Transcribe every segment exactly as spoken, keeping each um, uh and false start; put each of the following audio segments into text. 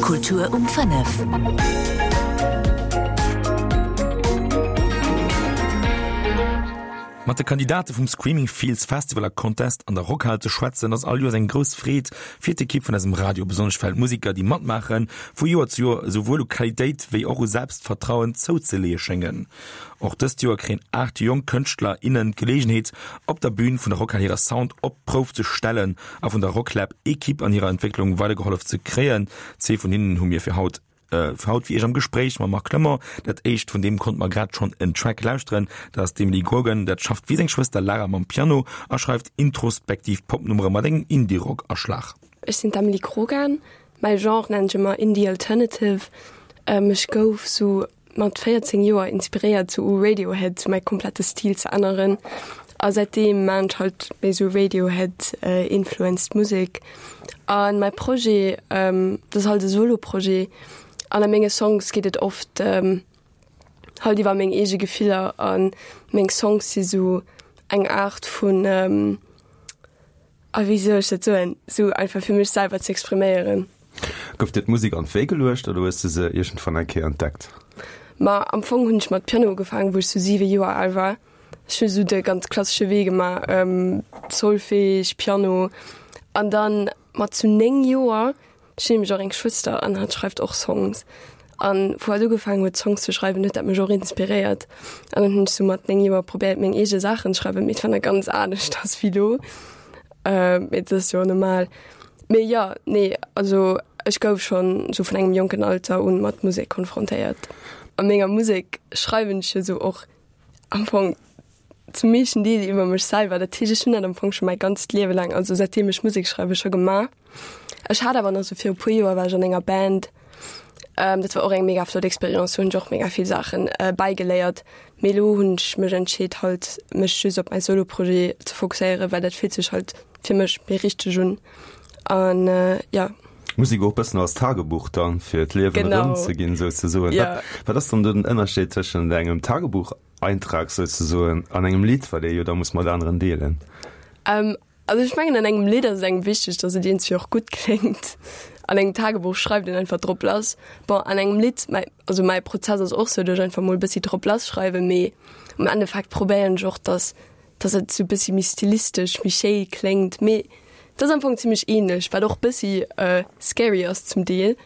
Kultur um fënnef. Mat de Kandidate vum Screaming Fields Festival a Contest an der Rockhal ze schwätzen, ass all Joers eng grouss Freed fir d'Ekipp vun eisem Radio, besonnesch well d'Musiker, déi matmaachen, vu Joer zu Joer esouwuel u Qualitéit wéi och u Selbstvertrauen zouzeleeë schéngen. Och dëst Joer kréien aacht jonk Kënschtler, innen d'Geleegenheet, op der Bün vun der Rockhal hire Sound op d'Prouf ze stellen a vun der Rocklab Ekipp an hirer Entwécklung weidergehollef ze kréien. Zwee vun hinnen hu mir fir haut fir haut fir iech am Gespréich mam Marc Clement. Dat éischt vun deem konnte mer grad schonn en Track lauschteren. Dat ass d'Emily Grogan. Dat schafft wéi seng Schwëster Lara mam Piano a schreift introspektiv Popnummere mat engem Indie-Rock-Aschlag. Ech sinn d'Emily Grogan. Mäi Genre nennen ech ëmmer Indie Alternative. Ech gouf sou mat véierzéng Joer inspiréiert sou u Radiohead sou mäi komplette Stil ze änneren a säitdeem maan ech halt méi sou Radiohead influenced Musek an mäi Projet dat ass halt e Solo Projet an a menge Songs geet et oft halt iwwer meng eege Gefiller an meng Songs si sou eng Aart vun a wéi soll ech dat soen, sou einfach fir mech selwer ze expriméieren. Gouf dir d'Musek an d'Wéi geluecht oder hues de se iergendwann eng Kéier entdeckt? Ma am Fong hunn ech mat Piano ugefaangen, wou ech sou siwe Joer al war. Ech hu sou de ganz klassesche Wee gemaach, Solfège, Piano an dann mat sou néng Joer, ech hunn nämlech och eng Schwëster an hatt schreift och Songs an wou hatt ugefaangen huet Songs ze schreiwen, huet dat mech och inspiréiert an dann hunn ech sou mat néng Joer probéiert meng eege Saachen ze schreiwen, mee et war nach ganz aneschters wéi lo. Mee dat ass jo normal. Mee jo, nee, also ech gouf schonn sou vun engem jonken Alter un mat Musek konfrontéiert. A menger Musek schreiwen ech jo sou och am Fong zum meeschten Deel iwwer mech selwer. Dat heescht, ech hunn dat am Fong scho mäi ganzt Liewe laang, also säitdeem ech Musek schreiwe scho gemaach. Ech hat awer nach sou viru puer Joer war ech an enger Band. Dat war och eng mega flott Experience, do hunn ech och mega vill Saachen bäigeléiert. Mee elo hunn ech mech entscheet halt mech just op mäi Solo-Projet ze fokusséieren, well dat fillt sech halt fir mech méi richteg un an jo. Musek och bëssen als Tagebuch dann, fir d'Liewen erëmzeginn souzesoen. Genau. Wat ass dann den Ënnerscheed tëschent engem Tagebucheintrag souzesoen an engem Lidd, wat ee jo da muss mat aneren deelen? Also ech mengen an engem Lidd ass et engem wichteg, datt et iergendwéi och gutt kléngt. An engem Tagebuch schreift een einfach drop lass. Bon, an engem Lidd, mäi, also mäi Prozess ass och sou, datt ech einfach mol e bëssi drop lass schreiwen, mee am Endeffekt probéieren ech och, datt, datt et sou e bëssi méi stilistesch, méi schéi kléngt. Mee et ass am Fong zimlech ähnlech, wat och bëssi scary ass zum Deel,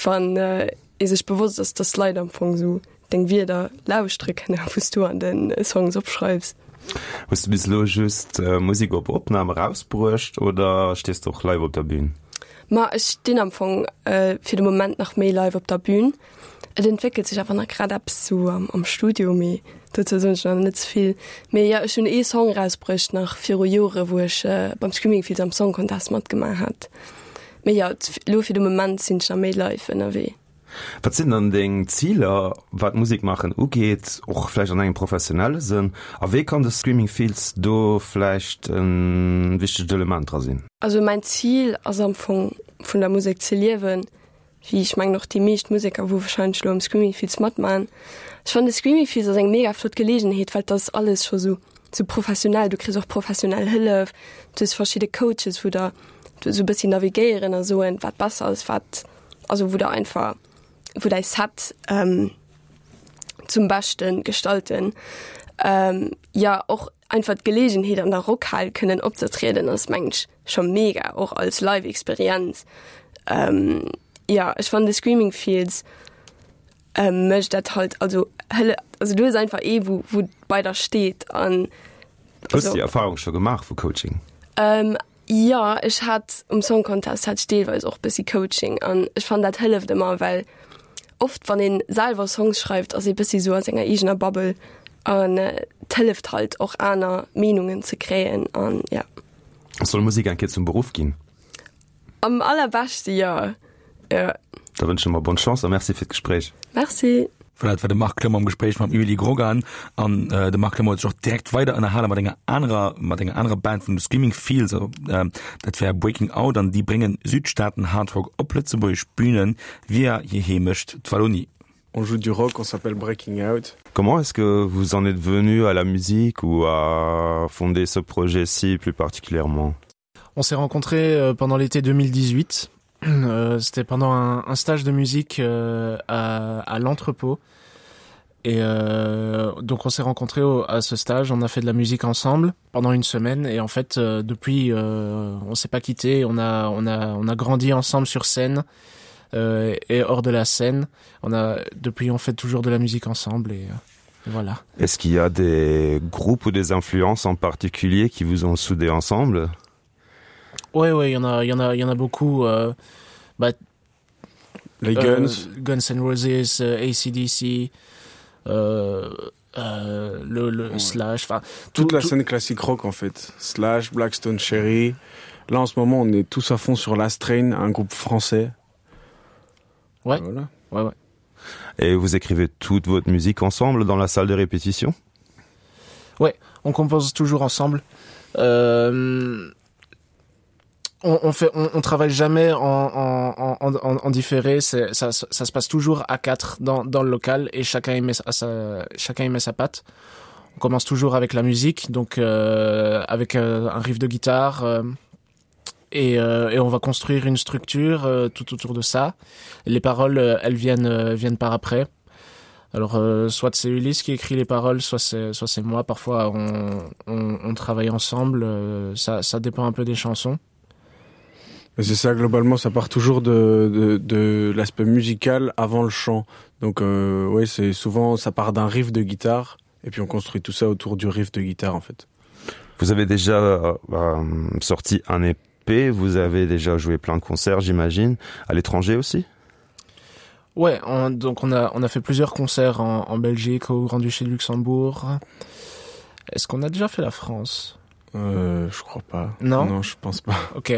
wann ee sech bewosst ass, datt Leit am Fong sou deng Wierder lauschtere kënne wou s du an de Songs opschreifs. Hues du bis elo just Musek op Opnam erausbruecht oder stees de och live op der Bün? Ma ech stinn am Fong fir de Moment nach méi live op der Bün. Et entwéckelt sech awer nach grad eppes sou am Studio, mee dozou soen ech nach net ze vill. Mee jo, ech hunn ee Song erausbruecht nach viru Jore wou ech beim Screaming Fields am Song Contest matgemaach hat. Mee jo, elo fir de Moment sinn ech nach méi live ënnerwee. Wat sinn dann deng Ziler, wat Musek maachen ugeet, och vläicht an engem professionelle Sënn? A wéi kann de Screaming Fields do vläicht e wichtegt Element dra sinn? Also mäin Zil ass am Fong vun der Musek ze liewen, wéi ech mengen och déi meescht Museker wou wahrscheinlech elo am Screaming Fields matmaachen. Ech fannen de Screaming Fields ass eng mega flott Geleegenheet, well et ass alles scho sou sou professionell, du kriss och professionell Hëllef, du hues verschidde Coaches wou der sou e bëssi navigéieren a soen wat besser ass, wat also wou der einfach wou däi Set ähm, zum Beschten gestalten. Ähm, ja och einfach d'Gelegenheet an der Rockhal kënnen opzetrieden ass mengen ech scho mega, och als Live-Experienz. Ähm, ja ech fannen de Screaming Fields ähm, mécht dat halt also hëlle also du hues einfach ee wou wou bei der steet an Hues du déi Erfahrung scho gemaach vu Coaching? Ähm, Jo, ech hat um Song Contest hat ech deelweis och bëssi Coaching an ech fannen dat hëlleft ëmmer, well oft wann een selwer Songs schreift ass ee bëssi sou a senger eegener Bubble an et hëlleft halt och aner Meenungen ze kréien an ja. Soll Musek eng Kéier zum Beruff ginn? Am allerbeschte jo, jo. Da wënsche mer bonne Chance a Merci fir d'Gespréich. Merci. Voilà, dat war de Marc Clement am Gespréich mam Emily Grogan. An äh, de Marc Clement huet sech och direkt weider ënnerhale mat enger anerer, mat enger anerer Band vun de Screaming Fields, also, äh, dat wär Breaking Out an déi bréngen Südstaaten Hard Rock op lëtzebuergesch Bünen via hir Heemecht, d'Wallonie. On joue du rock, on s'appelle Breaking Out. Comment est-ce que vous en êtes venu à la musique ou à fonder ce projet-ci plus particulièrement? On s'est rencontrés euh, pendant l'été deux mille dix-huit. Euh, C'était pendant un, un stage de musique euh, à, à l'entrepôt. Et euh, donc on s'est rencontrés au, à ce stage, on a fait de la musique ensemble pendant une semaine et en fait euh, depuis euh, on s'est pas quitté, on a, on a, on a grandi ensemble sur scène euh, et hors de la scène. On a, depuis on fait toujours de la musique ensemble et, euh, et voilà. Est-ce qu'il y a des groupes ou des influences en particulier qui vous ont soudé ensemble? Ouais ouais, il y en a il y en a il y en a beaucoup euh, bah, Les Guns, euh, Guns N' Roses, euh, A C D C, euh, euh, le, le Ouais. Slash, enfin toute tout, la tout- scène classique rock en fait. Slash, Black Stone Cherry. Là en ce moment on est tous à fond sur Last Train, un groupe français. Ouais. Voilà. Ouais, ouais. Et vous écrivez toute votre musique ensemble dans la salle de répétition? On compose toujours ensemble. Euh, on, on fait, on, on travaille jamais en, en, en, en, en différé. C'est, ça, ça se passe toujours à quatre dans, dans le local et chacun y met sa, sa, chacun y met sa patte. On commence toujours avec la musique, donc euh, avec euh, un riff de guitare. Euh, et, euh, et on va construire une structure euh, tout autour de ça. Les paroles, euh, elles viennent, euh, viennent par après. Alors euh, soit c'est Ulysse qui écrit les paroles, soit c'est soit c'est moi. Parfois on, on, on travaille ensemble, euh, ça, ça dépend un peu des chansons. Mais c'est ça globalement, ça part toujours de, de, de l'aspect musical avant le chant. Donc euh, ouais, c'est souvent ça part d'un riff de guitare et puis on construit tout ça autour du riff de guitare en fait. Vous avez déjà euh, euh, sorti un E P, vous avez déjà joué plein de concerts, j'imagine, à l'étranger aussi? Ouais, on, donc on a, on a fait plusieurs concerts en, en Belgique, au Grand-Duché de Luxembourg. Est-ce qu'on a déjà fait la France? Euh, je crois pas. Non. Non, je pense pas. Ok.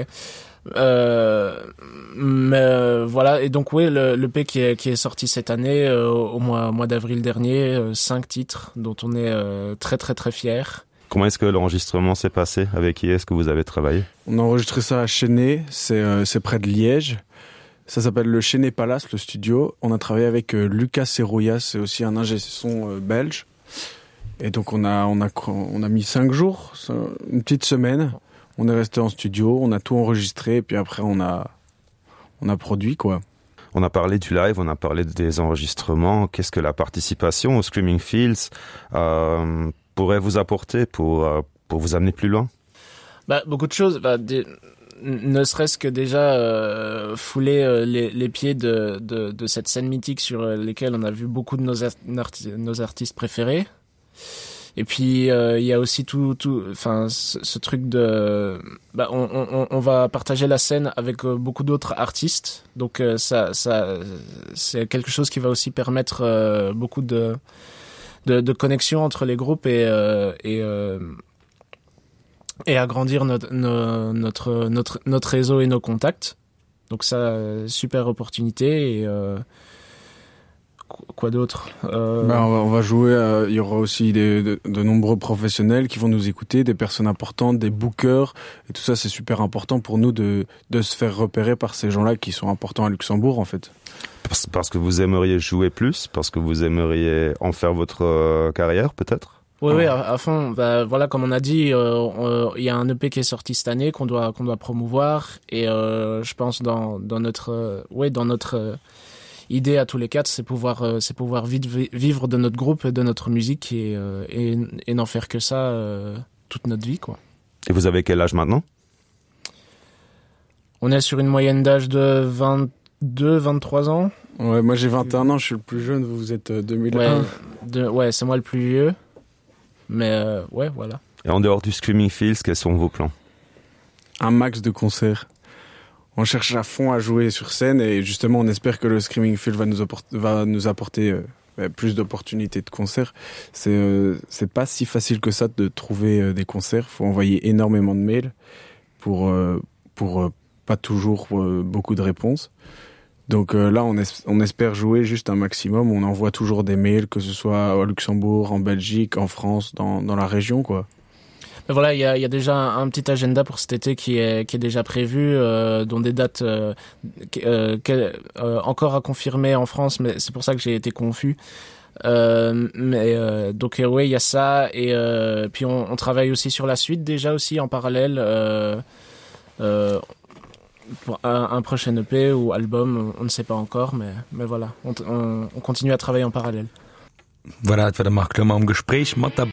Euh, mais euh, voilà, et donc oui, le, l'E P qui est, qui est sorti cette année, euh, au mois, mois d'avril dernier, euh, cinq titres dont on est euh, très très très fiers. Comment est-ce que l'enregistrement s'est passé? Avec qui est-ce que vous avez travaillé? On a enregistré ça à Chênée, c'est euh, c'est près de Liège. Ça s'appelle le Chênée Palace, le studio. On a travaillé avec euh, Lucas Serrouillas, c'est aussi un ingé son euh, belge. Et donc on a, on a, on a mis cinq jours, une petite semaine. On est resté en studio, on a tout enregistré et puis après on a, on a produit quoi. On a parlé du live, on a parlé des enregistrements. Qu'est-ce que la participation au Screaming Fields euh, pourrait vous apporter pour, euh, pour vous amener plus loin? Bah, beaucoup de choses. Bah, des, ne serait-ce que déjà euh, fouler euh, les, les pieds de, de, de cette scène mythique sur euh, lesquelles on a vu beaucoup de nos, arti nos artistes préférés. Et puis euh, il y a aussi tout, tout, enfin ce, ce truc de, bah, on, on, on va partager la scène avec euh, beaucoup d'autres artistes, donc euh, ça, ça, c'est quelque chose qui va aussi permettre euh, beaucoup de, de, de connexions entre les groupes et, euh, et euh, et agrandir notre, notre, notre, notre réseau et nos contacts. Donc ça, super opportunité et euh, quoi d'autre euh... ben, on, va, on va jouer, euh, il y aura aussi des, de, de nombreux professionnels qui vont nous écouter, des personnes importantes, des bookers et tout ça c'est super important pour nous de, de se faire repérer par ces gens-là qui sont importants à Luxembourg en fait. Parce, parce que vous aimeriez jouer plus, parce que vous aimeriez en faire votre euh, carrière peut-être? Oui, oui, à, à fond. Bah, voilà, comme on a dit, euh, il y a un E P qui est sorti cette année qu'on doit qu'on doit promouvoir et euh, je pense dans dans notre euh, ouais dans notre euh, idée à tous les quatre, c'est pouvoir euh, c'est pouvoir vite vivre de notre groupe, de notre musique et euh, et, et n'en faire que ça euh, toute notre vie quoi. Et vous avez quel âge maintenant? On est sur une moyenne d'âge de vingt-deux, vingt-trois ans. Ouais, moi j'ai vingt et un ans, je suis le plus jeune, vous êtes deux mille un. Ouais, de, ouais c'est moi le plus vieux. Mais euh, ouais, voilà. Et en dehors du Screaming Fields, quels sont vos plans? Un max de concerts. On cherche à fond à jouer sur scène et justement on espère que le Screaming Field va nous apporter, va nous apporter euh, plus d'opportunités de concerts. C'est euh, c'est pas si facile que ça de trouver euh, des concerts. Faut envoyer énormément de mails pour, euh, pour euh, pas toujours euh, beaucoup de réponses. Donc euh, là, on, es on espère jouer juste un maximum. On envoie toujours des mails, que ce soit au Luxembourg, en Belgique, en France, dans, dans la région, quoi. Mais voilà, il y a, y a déjà un, un petit agenda pour cet été qui est, qui est déjà prévu, euh, dont des dates euh, euh, euh, encore à confirmer en France, mais c'est pour ça que j'ai été confus. Euh, mais euh, donc euh, oui, il y a ça et euh, puis on, on travaille aussi sur la suite déjà aussi en parallèle. Euh, euh, pour un, un prochain E P ou album, on ne sait pas encore, mais, mais voilà, on, on, on continue à travailler en parallèle. Voilà, dat war de Marc Lömmer am Gespréich mat der